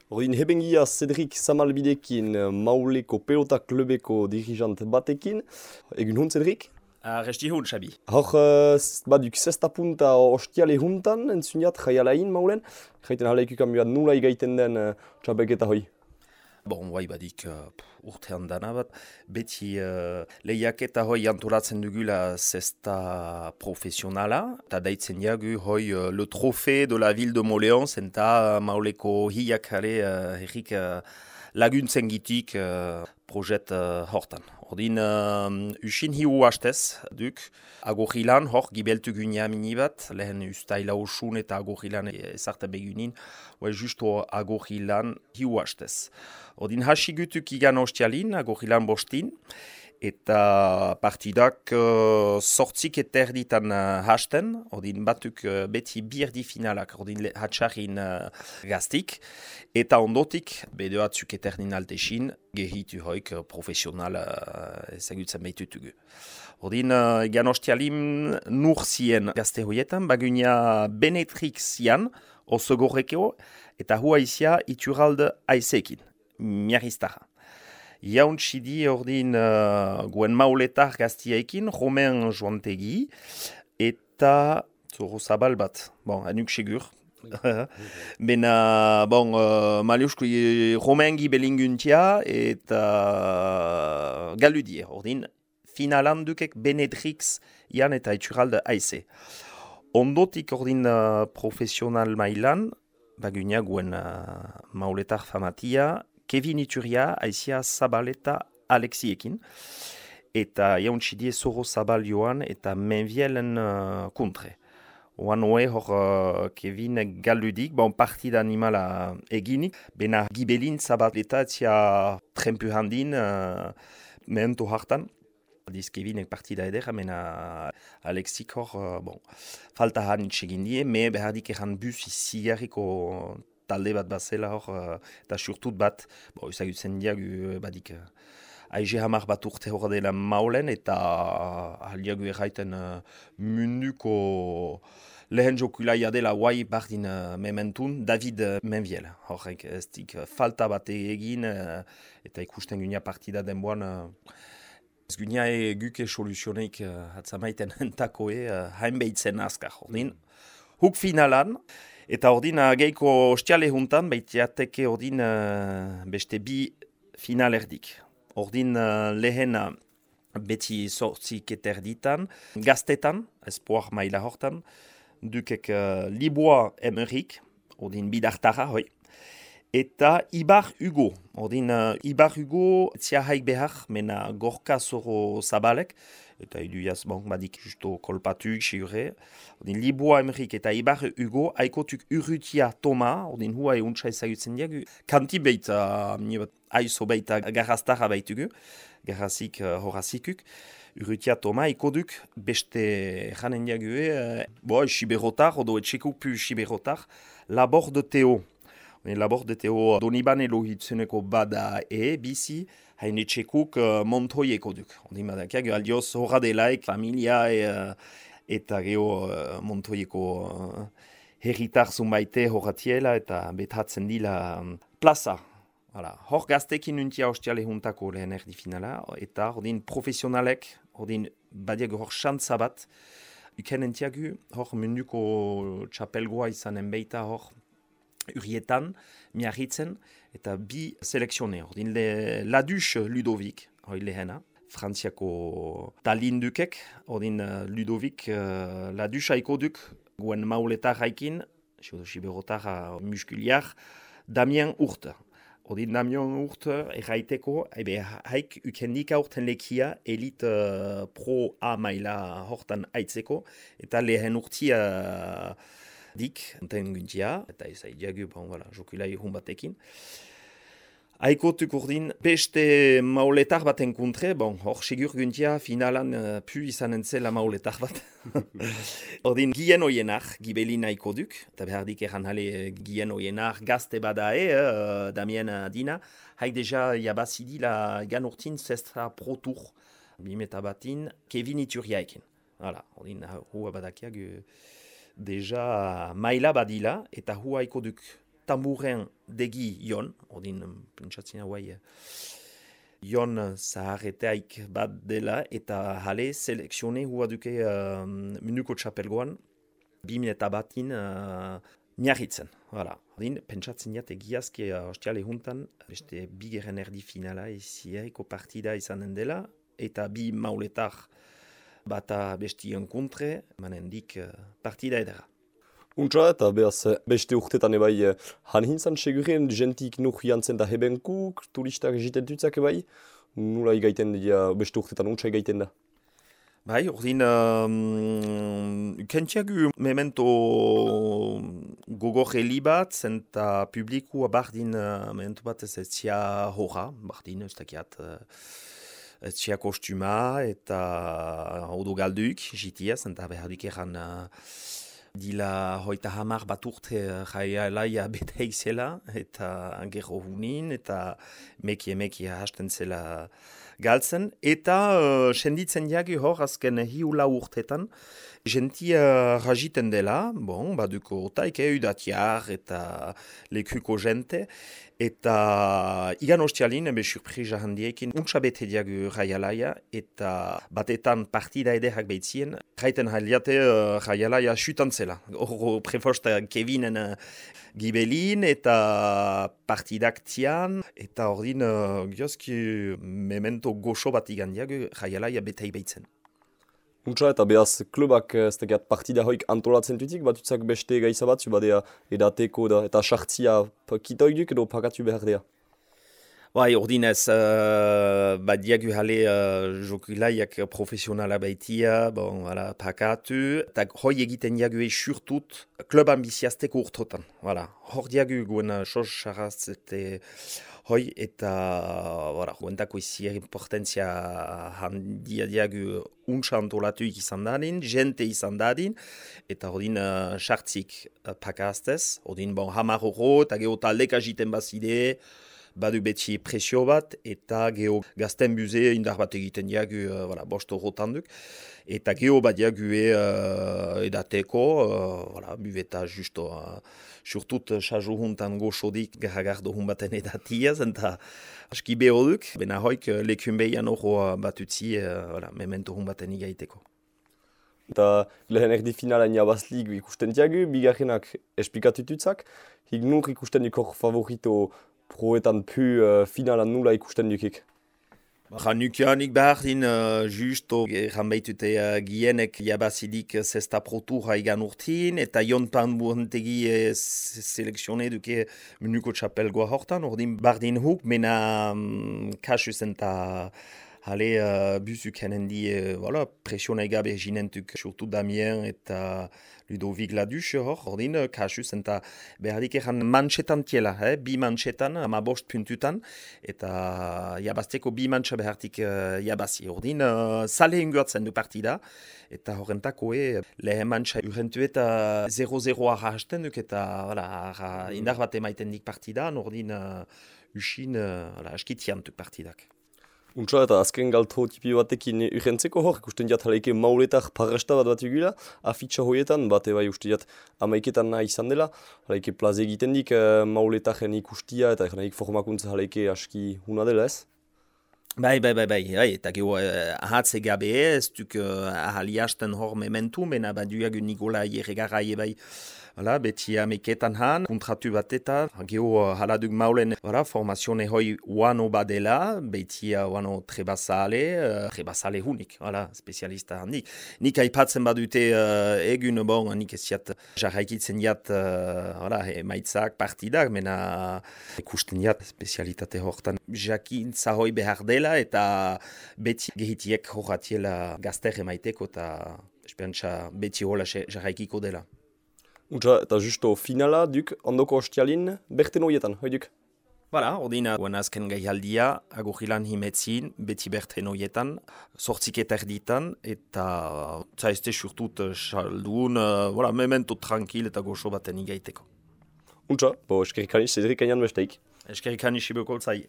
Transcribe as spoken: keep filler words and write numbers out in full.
Ordin hebengia Cedric Samalbidekin eh, Mauleko pelota klubeko dirigant batekin. Egun hon, Cedric? Resti hon, Xabi. Hor, uh, baduk sesta punta ostiale juntan, entzuniat, jaialain maulen. Jaiten haleikuk amuat nula igaiten den uh, txapelketa hoi. Bon, guai badik uh, urtean dana bat, beti uh, lehiaketa hoi antolatzen dugula zesta profesionala, eta daitzen jagu hoi uh, le trofée de la ville de Moléon, zenta uh, mauleko hiak jale uh, errik uh, laguntzen gitik uh, projet uh, hortan. Ordin, uh, usin hiu hastez duk, agorilan hor gibeltu gunia mini bat, lehen ustaila osun eta agorilan ezarte begunin, hoi justo agorilan hiu hastez. Ordin hasi gutuk igan ostialin, agorilan bostin, eta partidak uh, sortzik eterditan uh, hasten, ordin batuk uh, beti birdi finalak, ordin hatxarin uh, gaztik, eta ondotik, bede batzuk eterdin altesin, gehitu hoik uh, profesional uh, ezagutzen behitutugu. Ordin, uh, egan ostialin nur zien gazte hoietan, bagunia Benetrix zian, oso gorrekeo, eta hua izia ituralde aizekin, miarriztara. Jauntxidi ordin uh, guen mauletar gaztiaekin, Romain Joantegi, eta zoro zabal bat, bon, anuk segur. Bena, bon, uh, maliusko Romain gibelinguntia eta uh, galudie, ordin finalan dukek Benetrix ian eta ituralde aize. Ondotik ordin uh, profesional mailan, bagunia guen uh, mauletar famatia, Kevin Ituria, aizia Zabaleta Alexiekin, eta jauntxidie Zoro Zabal joan eta menvielen uh, kontre. Oan hoe hor uh, Kevin galudik, bon partida animala eginik, bena gibelin Zabaleta etzia trempu handin uh, mehentu hartan. Diz Kevinek partida edera, mena Alexik hor, uh, bon, falta hanitz egin die, me behardik eran bus iziarriko talde bat bazela hor, uh, eta surtut bat, bo, ezagutzen diagu badik, uh, aize hamar bat urte hor dela maulen, eta uh, aliagu erraiten uh, munduko lehen jokulaia dela guai bardin uh, mementun, David uh, Menviel. Horrek ez dik uh, falta bat egin, uh, eta ikusten gunia partida denboan, uh, ez gunia e guke soluzioneik uh, atzamaiten entakoe uh, hainbeitzen azkar. Ordin, huk finalan, eta ordin geiko ostiale juntan, baitiateke ordin uh, beste bi final erdik. Ordin uh, lehena beti sortzik eterditan, gaztetan, espoir maila hortan, dukek uh, Liboa Emerik, ordin bidartara, hoi, eta Ibar Hugo, ordin uh, Ibar Hugo tzia haik behar, mena gorka zoro zabalek, eta iduiaz, bon, badik justo kolpatuk, sigure. Ordin, Liboa Emerik eta Ibar Hugo, haikotuk Urrutia Toma, ordin hua euntsa ezagutzen diagu. Kanti beita, aizo beita garrastara baitugu, garrazik uh, horazikuk. Urrutia Toma, ikoduk beste janen diagu, uh, bo, siberotar, odo etxekuk pu siberotar, labor de Teo. Labor de Teo Doniban elohitzeneko bada e, bizi, hain etxekuk uh, montoieko duk. Ondin badakiak, aldioz horra delaik, familia e, uh, eta geho uh, montoieko uh, herritar zunbaite horratiela eta betatzen dila um, plaza. Hala, hor gaztekin untia ostiale juntako lehen erdi finala, eta ordin profesionalek, ordin badiak hor xantza bat, uken entiagu, hor munduko txapelgoa izanen beita hor, urietan, miarritzen, eta bi selekzione. Ordin le Ladus Ludovic, hori lehena, frantziako talindukek, ordin uh, Ludovic uh, Ladus haiko duk, guen mauletar haikin, siberotar uh, muskuliar, Damien Urte. Ordin Damien Urte erraiteko, ebe haik ukendik aurten lekia, elit uh, pro A maila hortan aitzeko, eta lehen urtia uh, dik, enten guntia, eta ez aidiagu, bon, voilà, jokulai hun batekin. Aikotuk urdin, beste mauletar baten kontre, bon, hor segur guntia, finalan uh, pu izan entzela mauletar bat. Ordin, gien oienar, gibelin aikoduk, eta behardik eran hale gien oienar, gazte badae, uh, Damien Dina, haik deja jabazidi la gan urtin zestra pro tour, bimeta batin, Kevin Ituriaekin. Voilà, ordin, hua badakiak, deja maila badila eta hua ikoduk tamburen degi Jon, ordin pentsatzen hauai, Jon zaharreteaik bat dela, eta jale selekzione hua duke uh, minuko txapelgoan, bi eta batin uh, miarritzen. Voilà. Ordin, pentsatzen jat egiazki uh, ostiale juntan, beste bigeren erdi finala ezieriko partida izanen dela, eta bi mauletar bata besti enkontre, manendik uh, partida edera. Untsa eta behaz beste urtetan ebai han hintzan seguren jentik nuk jantzen da hebenkuk, turistak egiten dutzak ebai, nula igaiten dira beste urtetan untsa igaiten da. Bai, ordin, um, kentiagu memento gogor heli bat, zenta publikua bardin uh, memento bat ez etzia horra, bardin, ez dakiat, uh, etzia kostuma eta odo galduik, jitia, zenta behardik eran uh, dila hoita hamar bat urte jaia laia bete izela, eta gero hunin, eta meki emeki hasten zela galtzen, eta uh, senditzen jagi hor azken hiula urtetan, jentia rajiten dela, bon, baduko otaik eudatiar eta lekuko jente, eta igan ostialin, ebe surprisa handiekin, untsa bete diagu jaialaia, eta batetan partida ederak behitzien, jaiten haliate uh, jaialaia sutantzela. Hor prefosta Kevinen uh, gibelin, eta partidak tian, eta ordin, uh, giozki memento goxo bat igan diagu jaialaia betei behitzen. Untsa eta behaz klubak ez dakiat partida hoik antolatzen dutik, batutzak beste gaiza batzu badea edateko da, eta sartzia kitoik duk edo pakatu behar dea. Bai, ordinez, uh, badiagu jale uh, jokilaiak profesionala baitia, bon, voilà, pakatu, eta hoi egiten diagu esurtut klub ambiziazteko urtotan. Voilà. Hor diagu guen sos sarrazete hoi eta voilà, guentako izi importantzia handia diagu untsa antolatuik izan dadin, jente izan dadin, eta ordin uh, sartzik uh, pakaztez, ordin bon, hamar horro, eta geho taldek agiten bazide, badu beti presio bat, eta geho gazten buze indar bat egiten diagu uh, voilà, bost horrotan duk, eta geho bat diagu uh, edateko, uh, voilà, buveta justo, uh, surtut sajo juntan goxodik garagardo hun baten edatiaz, eta aski beho duk, bena hoik lekun behian horro bat utzi, uh, voilà, memento hun baten igaiteko. Eta lehen erdi finala niabazlik ikusten diagu, bigarrenak esplikatututzak, hik nur ikusten duk hor favorito proetan pu uh, finalan nula ikusten dukik. Janukianik bardin, uh, justo, erran behitute uh, gienek jabazidik zesta protura igan urtin, eta jontan buhantegi uh, selekzione duke minuko txapelgoa hortan, ordin bardin huk, mena um, kasus eta hale uh, buzuk henendi, uh, voilà, presiona egabe jinentuk, surtout Damien eta Ludovic Ladus hor, ordin, uh, kasus eta behardik eran mantxetan tiela, eh? bi mantxetan, ama bost puntutan, eta jabazteko bi mantxa behartik uh, jabazi. Ordin, uh, sale ingoatzen du partida, eta horrentako e, lehen mantxa urrentu eta zero zero arra hasten duk, eta voilà, arra, indar bat emaiten dik partidan, ordin, uh, usin, uh, voilà, askitian duk partidak. Untsa eta azken galto tipi batekin urrentzeko hor, ikusten diat haleike mauletak parrasta bat bat egula, afitxa hoietan, bate bai uste diat amaiketan nahi izan dela, haleike plaze egiten dik uh, mauletaken ikustia eta nahi formakuntza haleike aski huna dela ez? Bai, bai, bai, bai, bai, eta geho uh, ahatze gabe ez, duk uh, ahaliasten hor mementu, mena baduagu Nikola Ierregarra bai, voilà, beti ameketan han, kontratu bat eta, geho uh, haladuk maulen, voilà, formazione hoi uano badela, beti uh, uano trebasale, uh, trebasale hunik, voilà, spezialista handik. Nik aipatzen badute uh, egun, bon, nik ez jat, jarraikitzen jat, uh, voilà, emaitzak, partidak, mena ikusten jat, spezialitate hortan. Jakintza hoi behar dela, eta beti gehitiek horratiela gazter emaiteko, eta esperantza beti hola jarraikiko dela. Untsa, eta justo finala duk, ondoko ostialin, berten hoietan, hoi duk? Voilà, ordina, guen azken gaialdia, agurrilan himetzin, beti berten hoietan, sortzik eta erditan, eta zaizte surtut saldun, uh, voilà, memento tranquil eta goxo baten igaiteko. Untsa, bo eskerikaniz, Cedric Aignan besteik. Eskerikaniz ibeko zai.